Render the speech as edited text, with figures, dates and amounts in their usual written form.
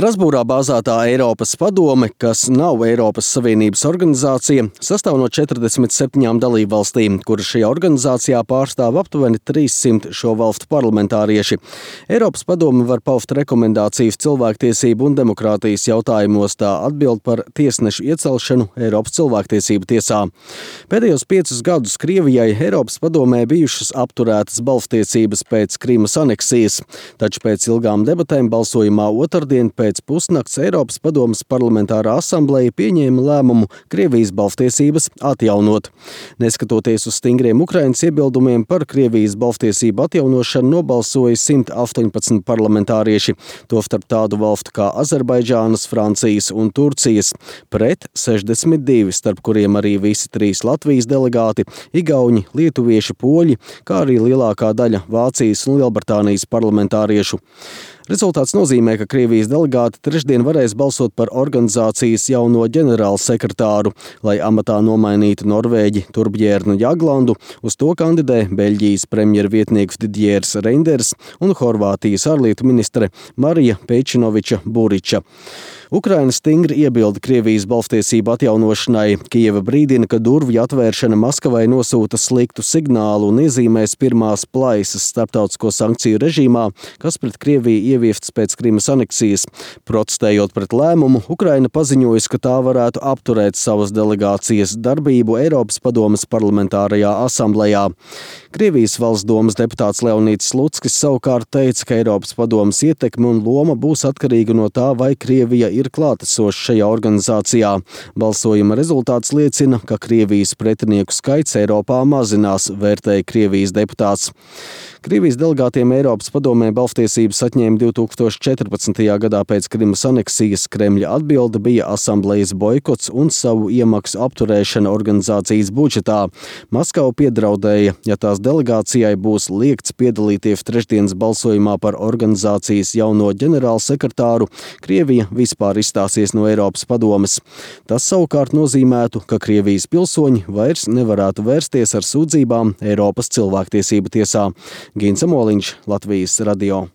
Strasbūrā bāzētā Eiropas padome, kas nav Eiropas Savienības organizācija, sastāv no 47 dalībvalstīm, kuras šajā organizācijā pārstāv aptuveni 300 šo valstu parlamentārieši. Eiropas padome var paust rekomendācijas cilvēktiesību un demokrātijas jautājumos, tā atbild par tiesnešu iecelšanu Eiropas cilvēktiesību tiesā. Pēdējos 5 gadus Krievijai Eiropas padomē bijušas apturētas balsstiesības pēc Krimas aneksijas, taču pēc ilgām debatēm balsojumā otrdien pēc pusnakts Eiropas padomes parlamentārā asambleja pieņēma lēmumu Krievijas balsstiesības atjaunot. Neskatoties uz stingriem Ukrainas iebildumiem par Krievijas balsstiesību atjaunošanu nobalsoja 118 parlamentārieši, tostarp tādu valstu kā Azerbaidžānas, Francijas un Turcijas, pret 62, starp kuriem arī visi 3 Latvijas delegāti, igauņi, lietuvieši, poļi, kā arī lielākā daļa Vācijas un Lielbritānijas parlamentāriešu. Rezultāts nozīmē, ka Krievijas delegāti trešdien varēs balsot par organizācijas jauno ģenerālsekretāru, lai amatā nomainītu Norvēģi Torbjērnu Jaglandu. Uz to kandidē Beļģijas premjervietnieks Didjers Reinders un Horvātijas ārlietu ministre Marija Pejčinoviča Buriča. Ukraina stingri iebilda Krievijas balsstiesību atjaunošanai. Kijeva brīdina, ka durvju atvēršana Maskavai nosūta sliktu signālu un iezīmēs pirmās plaisas starptautisko sankciju režīmā, kas pret Krieviju ieviestas pēc Krimas aneksijas. Protestējot pret lēmumu, Ukraina paziņojusi, ka tā varētu apturēt savas delegācijas darbību Eiropas padomes parlamentārajā asamblejā. Krievijas valsts domas deputāts Leonīds Slutskis savukārt teica, ka Eiropas padomes ietekme un loma būs atkarīga no tā, vai Krievija ir klātesoša šajā organizācijā. Balsojuma rezultāts liecina, ka Krievijas pretinieku skaits Eiropā mazinās, vērtēja Krievijas deputāts. Krievijas delegātiem Eiropas padomē balsstiesības atņēma 2014. gadā pēc Krimas aneksijas. Kremļa atbilde bija asamblejas boikots un savu iemaksu apturēšana organizācijas budžetā. Maskava piedraudēja, ja tās delegācijai būs liegts piedalīties trešdienas balsojumā par organizācijas jauno ģenerālsekretāru, Krievija vispār izstāsies no Eiropas padomes. Tas savukārt nozīmētu, ka Krievijas pilsoņi vairs nevarētu vērsties ar sūdzībām Eiropas cilvēktiesību tiesā. Gins Amoliņš, Latvijas radio.